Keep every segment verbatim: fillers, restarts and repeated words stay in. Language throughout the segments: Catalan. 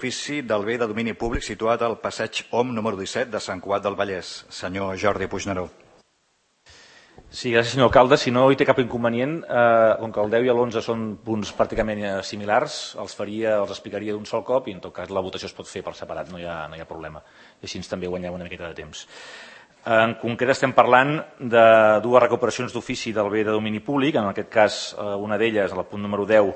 d'ofici del bé de domini públic situat al passeig Om número disset de Sant Cugat del Vallès. Senyor Jordi Puigneró. Sí, gràcies, senyor alcalde. Si no hi té cap inconvenient, eh, com que el deu i l'onze són punts pràcticament similars, els faria, els explicaria d'un sol cop i en tot cas la votació es pot fer per separat, no hi ha, no hi ha problema. I així també guanyem una miqueta de temps. En concret estem parlant de dues recuperacions d'ofici del bé de domini públic, en aquest cas una d'elles, el punt número deu,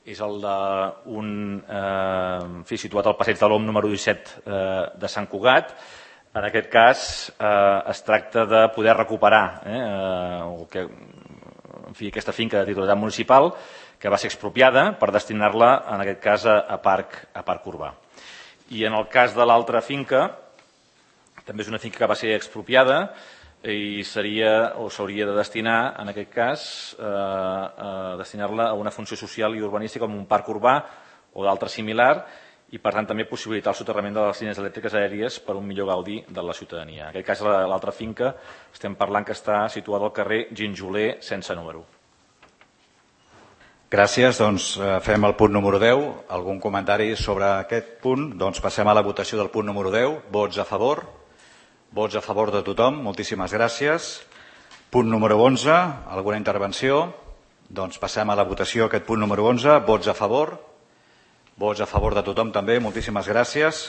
és el d'un eh, situat al passeig de l'Om número disset eh, de Sant Cugat. En aquest cas eh, es tracta de poder recuperar eh, el que, en fi, aquesta finca de titularitat municipal que va ser expropiada per destinar-la, en aquest cas, a, a, parc, a parc urbà. I en el cas de l'altra finca, també és una finca que va ser expropiada i seria o s'hauria de destinar, en aquest cas, eh, a destinar-la a una funció social i urbanística com un parc urbà o d'altre similar i, per tant, també possibilitar el soterrament de les línies elèctriques aèries per un millor gaudi de la ciutadania. En aquest cas, l'altra finca, estem parlant que està situada al carrer Ginjoler, sense número. Gràcies. Doncs fem el punt número deu. Algun comentari sobre aquest punt? Doncs passem a la votació del punt número deu. Vots a favor? Vots a favor de tothom. Moltíssimes gràcies. Punt número onze. Alguna intervenció? Doncs passem a la votació aquest punt número onze. Vots a favor? Vots a favor de tothom també. Moltíssimes gràcies.